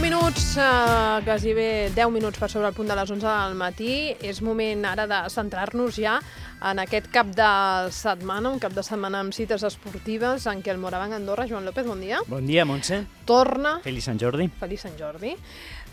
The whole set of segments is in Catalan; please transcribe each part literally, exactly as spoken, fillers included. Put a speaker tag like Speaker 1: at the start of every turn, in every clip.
Speaker 1: minuts, eh, quasi bé deu minuts per sobre el punt de les onze del matí. És moment ara de centrar-nos ja en aquest cap de setmana, un cap de setmana amb cites esportives en què el Morabanc Andorra, Joan López, bon dia.
Speaker 2: Bon dia, Montse.
Speaker 1: Torna...
Speaker 2: Feliç Sant Jordi.
Speaker 1: Feliç Sant Jordi.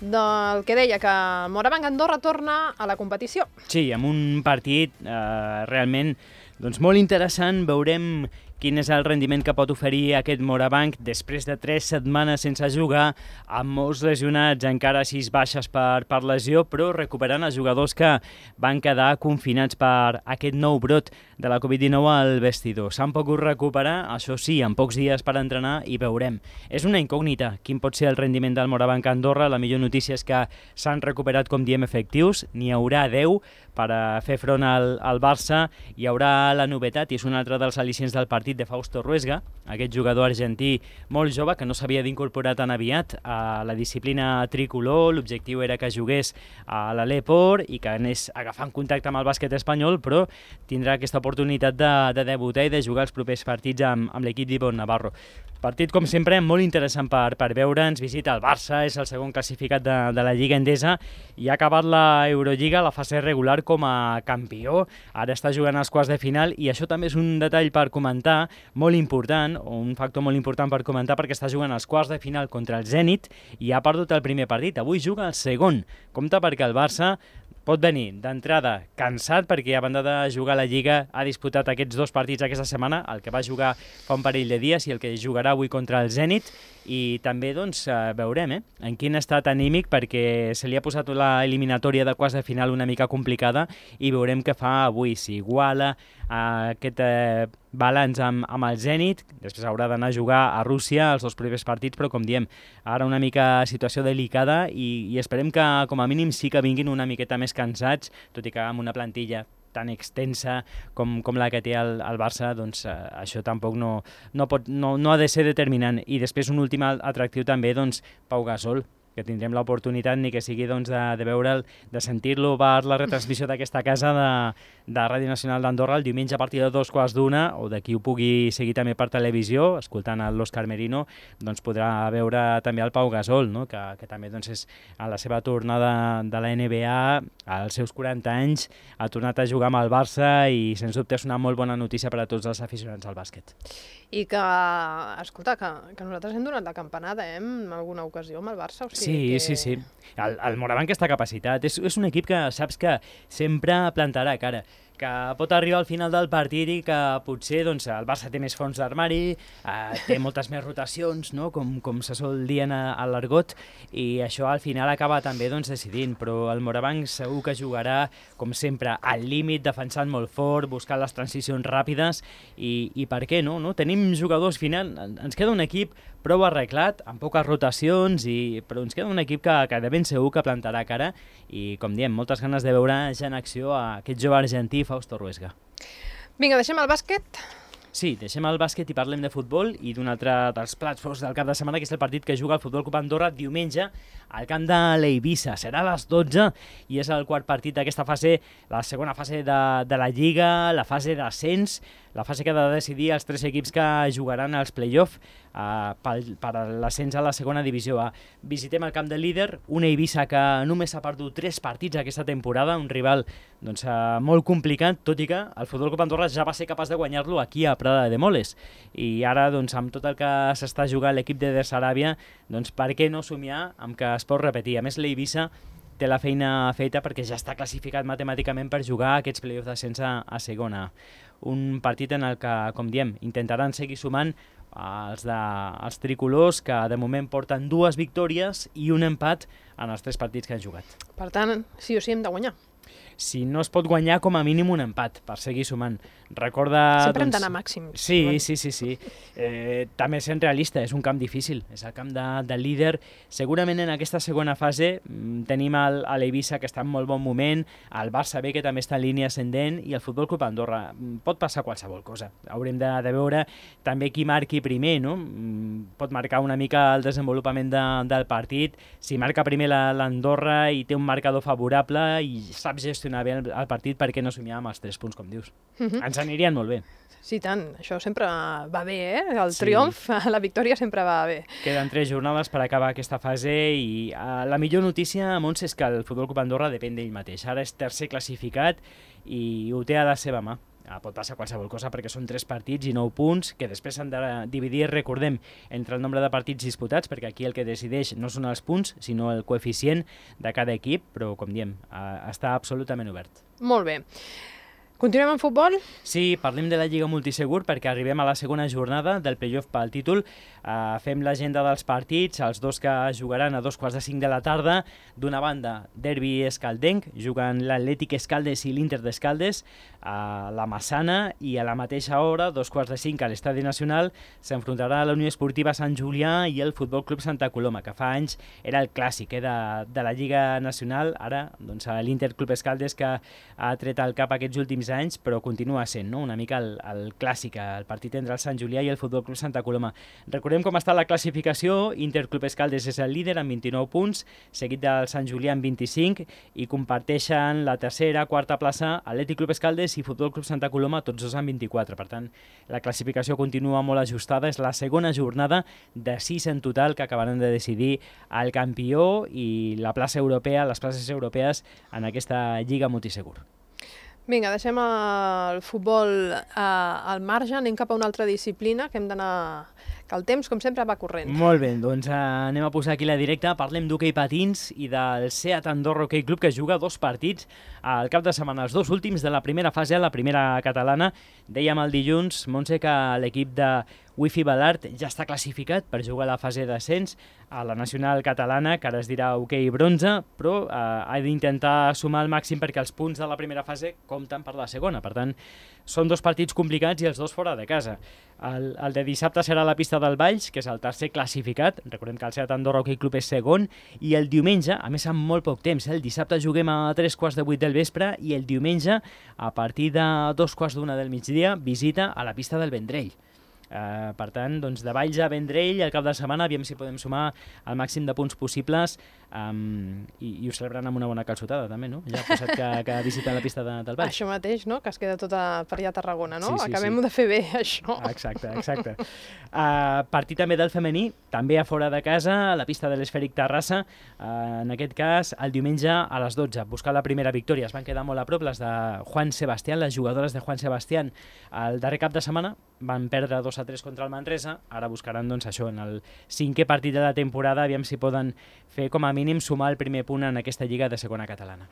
Speaker 1: Del que deia, que el Morabanc Andorra torna a la competició.
Speaker 2: Sí, amb un partit eh, realment doncs, molt interessant. Veurem quin és el rendiment que pot oferir aquest Morabanc després de tres setmanes sense jugar, amb molts lesionats, encara sis baixes per, per lesió, però recuperant els jugadors que van quedar confinats per aquest nou brot de la covid dinou al vestidor. S'han pogut recuperar, això sí, en pocs dies per entrenar i veurem. És una incògnita quin pot ser el rendiment del Morabanc Andorra. La millor notícia és que s'han recuperat, com diem, efectius. N'hi haurà deu per a fer front al, al Barça. Hi haurà la novetat, i és un altre dels al·licients del partit, de Fausto Ruesga, aquest jugador argentí molt jove que no s'havia d'incorporar tan aviat a la disciplina tricolor. L'objectiu era que jugués a l'Aleport i que anés agafant contacte amb el bàsquet espanyol, però tindrà aquesta oportunitat de, de debutar i de jugar els propers partits amb, amb l'equip d'Ivonne Navarro. Partit, com sempre, molt interessant per, per veure. Ens visita el Barça, és el segon classificat de, de la Lliga Endesa i ha acabat la Eurolliga, la fase regular, com a campió. Ara està jugant als quarts de final i això també és un detall per comentar, molt important, o un factor molt important per comentar, perquè està jugant als quarts de final contra el Zenit i ha perdut el primer partit. Avui juga el segon. Compte perquè el Barça pot venir d'entrada cansat perquè a banda de jugar a la Lliga ha disputat aquests dos partits aquesta setmana, el que va jugar fa un parell de dies i el que jugarà avui contra el Zenit, i també doncs, veurem eh, en quin estat anímic, perquè se li ha posat la eliminatòria de quarts de final una mica complicada i veurem què fa avui, si iguala eh, aquest eh, balanç amb, amb el Zenit. Després haurà d'anar a jugar a Rússia els dos primers partits, però com diem, ara una mica situació delicada i, i esperem que com a mínim sí que vinguin una miqueta més cansats, tot i que amb una plantilla tan extensa com, com la que té el, el Barça, doncs eh, això tampoc no, no, pot, no, no ha de ser determinant. I després un últim atractiu també, doncs, Pau Gasol, que tindrem l'oportunitat, ni que sigui doncs, de, de veure'l, de sentir-lo per la retransmissió d'aquesta casa de, de Ràdio Nacional d'Andorra el diumenge a partir de dos quarts d'una, o de qui ho pugui seguir també per televisió, escoltant l'Òscar Merino, doncs podrà veure també el Pau Gasol, no? que, que també doncs, és a la seva tornada de la N B A, als seus quaranta anys, ha tornat a jugar amb el Barça i sens dubte és una molt bona notícia per a tots els aficionats al bàsquet.
Speaker 1: I que, escolta, que, que nosaltres hem donat la campanada eh, en alguna ocasió amb el Barça. O sigui
Speaker 2: sí,
Speaker 1: que...
Speaker 2: sí, sí. El, el Morabanc està capacitat. És, és un equip que saps que sempre plantarà cara, que pot arribar al final del partit i que potser doncs, el Barça té més fons d'armari, eh, té moltes més rotacions, no? com, com se sol dir a, a l'argot, i això al final acaba també doncs, decidint, però el Morabanc segur que jugarà, com sempre, al límit, defensant molt fort, buscant les transicions ràpides, i, i per què no? no? Tenim jugadors final, ens queda un equip prou arreglat, amb poques rotacions, i, però ens queda un equip que, que de ben segur que plantarà cara, i com diem, moltes ganes de veure ja en acció a aquest jove argentí, Fausto Ruesga.
Speaker 1: Vinga, deixem el bàsquet.
Speaker 2: Sí, deixem el bàsquet i parlem de futbol i d'un altre dels plats forts del cap de setmana, que és el partit que juga el Futbol Club Andorra diumenge al camp de l'Eivissa. Serà a les dotze i és el quart partit d'aquesta fase, la segona fase de, de la Lliga, la fase d'ascens, la fase que ha de decidir els tres equips que jugaran als play-off uh, per, per l'ascens a la segona divisió A. Visitem el camp del líder, una Eivissa que només ha perdut tres partits aquesta temporada, un rival doncs, uh, molt complicat, tot i que el Futbol Club Andorra ja va ser capaç de guanyar-lo aquí a Prada de Moles. I ara, doncs, amb tot el que s'està jugant l'equip de Saràbia, doncs per què no somiar amb que es pot repetir? A més, l'Eivissa té la feina feta perquè ja està classificat matemàticament per jugar aquests play-offs d'ascens a, a segona. Un partit en el que, com diem, intentaran seguir sumant els, de, els tricolors, que de moment porten dues victòries i un empat en els tres partits que han jugat.
Speaker 1: Per tant, sí o sí hem de guanyar.
Speaker 2: Si no es pot guanyar, com a mínim un empat, per seguir sumant. Recorda...
Speaker 1: Sempre
Speaker 2: doncs...
Speaker 1: hem d'anar màxims.
Speaker 2: Sí, sí, sí, sí. Eh, també sent realista, és un camp difícil, és el camp de, del líder. Segurament en aquesta segona fase mm, tenim el, l'Eivissa, que està en molt bon moment, el Barça B, que també està en línia ascendent, i el Futbol Club Andorra. Pot passar qualsevol cosa. Haurem de, de veure també qui marqui primer, no? Pot marcar una mica el desenvolupament de, del partit. Si marca primer l'Andorra i té un marcador favorable i s'ha sap gestionar bé el, el partit perquè no somiar amb els tres punts, com dius.
Speaker 1: Uh -huh.
Speaker 2: Ens anirien molt bé.
Speaker 1: Sí, tant. Això sempre va bé, eh? El
Speaker 2: Sí.
Speaker 1: triomf, la victòria sempre va bé.
Speaker 2: Queden tres jornades per acabar aquesta fase i uh, la millor notícia, Montse, és que el Futbol Club Andorra depèn d'ell mateix. Ara és tercer classificat i ho té a la seva mà. Uh, pot passar qualsevol cosa perquè són tres partits i nou punts que després s'han de dividir, recordem, entre el nombre de partits disputats, perquè aquí el que decideix no són els punts, sinó el coeficient de cada equip, però, com diem, uh, està absolutament obert.
Speaker 1: Molt bé. Continuem amb futbol?
Speaker 2: Sí, parlem de la Lliga Multisegur perquè arribem a la segona jornada del playoff pel títol. Uh, fem l'agenda dels partits, els dos que jugaran a dos quarts de cinc de la tarda. D'una banda, derbi escaldenc, juguen l'Atlètic Escaldes i l'Inter d'Escaldes a la Massana, i a la mateixa hora, dos quarts de cinc, a l'Estadi Nacional, s'enfrontarà la Unió Esportiva Sant Julià i el Futbol Club Santa Coloma, que fa anys era el clàssic eh, de, de la Lliga Nacional. Ara, doncs, l'Inter Club Escaldes, que ha tret al cap aquests últims anys, però continua sent, no?, una mica el, el clàssic, el partit entre el Sant Julià i el Futbol Club Santa Coloma. Recordem com està la classificació. Inter Club Escaldes és el líder amb vint-i-nou punts, seguit del Sant Julià amb vint-i-cinc, i comparteixen la tercera, quarta plaça Atlètic Club Escaldes i Futbol Club Santa Coloma, tots dos amb vint-i-quatre. Per tant, la classificació continua molt ajustada. És la segona jornada de sis en total que acabaran de decidir el campió i la plaça europea, les places europees en aquesta Lliga Multisegur.
Speaker 1: Vinga, deixem el futbol eh, al marge, anem cap a una altra disciplina, que hem d'anar... que el temps, com sempre, va corrent.
Speaker 2: Molt bé, doncs eh, anem a posar aquí la directa. Parlem d'hoquei patins i del Seat Andorra Hockey Club, que juga dos partits al cap de setmana, els dos últims de la primera fase, la primera catalana. Dèiem el dilluns, Montse, que l'equip de Wifi Balart ja està classificat per jugar a la fase d'ascens a la nacional catalana, que ara es dirà hoquei bronze, però eh, ha d'intentar sumar el màxim perquè els punts de la primera fase compten per la segona. Per tant, són dos partits complicats i els dos fora de casa. El, el de dissabte serà a la pista del Valls, que és el tercer classificat. Recordem que el Seat Andorra Hockey Club és segon. I el diumenge, a més amb molt poc temps, eh? el dissabte juguem a tres quarts de vuit del vespre i el diumenge, a partir de dos quarts d'una del migdia, visita a la pista del Vendrell. Uh, per tant, doncs, de Valls a Vendrell al cap de setmana, aviam si podem sumar el màxim de punts possibles, um, i, i ho celebren amb una bona calçotada també, no? Ja ha passat que, que visiten la pista de, del Valls.
Speaker 1: Això mateix, no?, que es queda tota per allà a Tarragona, no?
Speaker 2: Sí, sí,
Speaker 1: Acabem
Speaker 2: sí.
Speaker 1: de fer bé, això.
Speaker 2: Exacte, exacte. Uh, partit també del femení, també a fora de casa, a la pista de l'Esfèric Terrassa, uh, en aquest cas el diumenge a les dotze, buscar la primera victòria. Es van quedar molt a prop les de Juan Sebastián, les jugadores de Juan Sebastián. El darrer cap de setmana van perdre dos a tres contra el Manresa, ara buscaran doncs això en el cinquè partit de la temporada, aviam si poden fer com a mínim sumar el primer punt en aquesta lliga de segona catalana.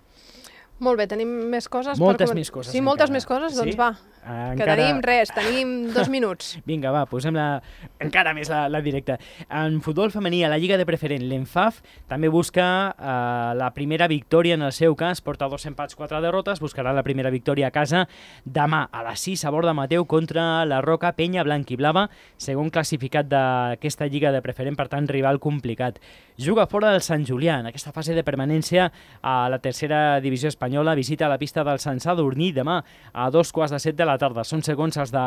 Speaker 1: Molt bé, tenim més coses?
Speaker 2: Moltes
Speaker 1: per...
Speaker 2: més coses.
Speaker 1: Sí,
Speaker 2: encara.
Speaker 1: moltes més coses? Doncs
Speaker 2: sí?
Speaker 1: va,
Speaker 2: encara...
Speaker 1: que tenim res, tenim dos minuts.
Speaker 2: Vinga, va, posem la... encara més la, la directa. En futbol femení, a la Lliga de Preferent, l'Enfaf també busca eh, la primera victòria en el seu cas, porta dos empats, quatre derrotes, buscarà la primera victòria a casa demà a les sis a Borda Mateu contra la Roca Penya Blanc i Blava, segon classificat d'aquesta Lliga de Preferent, per tant, rival complicat. Juga fora del Sant Julià, en aquesta fase de permanència a la tercera divisió espanyola, visita la pista del Sant Sadurní demà a dos quarts de set de la tarda. Són segons els de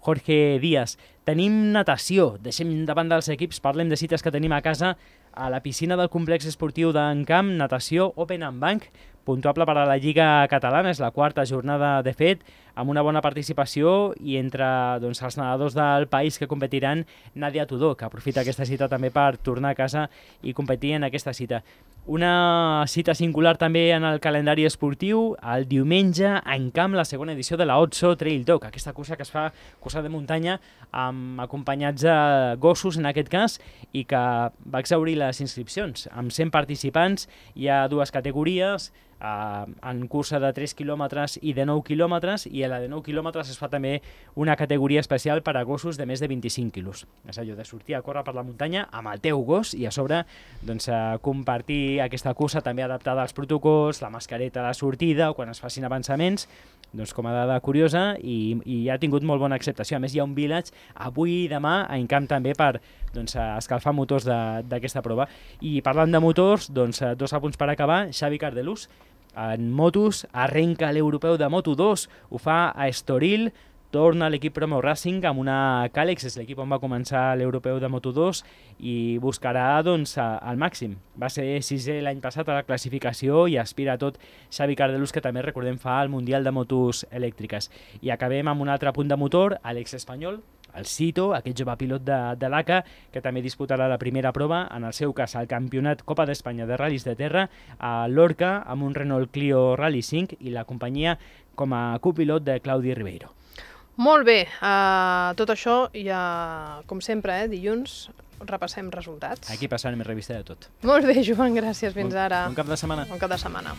Speaker 2: Jorge Díaz. Tenim natació, deixem davant dels equips, parlem de cites que tenim a casa. A la piscina del complex esportiu d'Encamp, natació Open and Bank, puntuable per a la Lliga Catalana, és la quarta jornada de fet, amb una bona participació, i entre doncs, els nedadors del país que competiran, Nàdia Tudó, que aprofita aquesta cita també per tornar a casa i competir en aquesta cita. Una cita singular també en el calendari esportiu, el diumenge a Encamp, la segona edició de la Otso Trail Dog, aquesta cursa que es fa, cursa de muntanya, amb acompanyats de gossos en aquest cas, i que va exaurir les inscripcions. Amb cent participants hi ha dues categories, Uh, en cursa de tres quilòmetres i de nou quilòmetres, i a la de nou quilòmetres es fa també una categoria especial per a gossos de més de vint-i-cinc quilos. És allò de sortir a córrer per la muntanya amb el teu gos i a sobre doncs, uh, compartir aquesta cursa també adaptada als protocols, la mascareta a la sortida o quan es facin avançaments, doncs com a dada curiosa, i, i ha tingut molt bona acceptació. A més, hi ha un village avui i demà a Encamp també per doncs, escalfar motors d'aquesta prova. I parlant de motors, doncs, dos apunts per acabar. Xavi Cardelús, en motos, arrenca l'europeu de Moto dos, ho fa a Estoril, torna l'equip Promo Racing amb una Càlex, és l'equip on va començar l'europeu de Moto dos i buscarà doncs, el màxim. Va ser sisè l'any passat a la classificació i aspira a tot Xavi Cardelús, que també recordem fa el Mundial de Motos Elèctriques. I acabem amb un altre punt de motor, Àlex Espanyol, el Cito, aquest jove pilot de, de l'A C A, que també disputarà la primera prova, en el seu cas el campionat Copa d'Espanya de Ral·lis de Terra, a Lorca, amb un Renault Clio Rally cinc i la companyia com a copilot de Claudi Ribeiro.
Speaker 1: Molt bé, uh, tot això ja, com sempre, eh, dilluns repassem resultats.
Speaker 2: Aquí passarem revista de tot.
Speaker 1: Molt bé, Joan, gràcies. Fins
Speaker 2: bon,
Speaker 1: ara.
Speaker 2: Bon cap de setmana.
Speaker 1: Bon cap de setmana.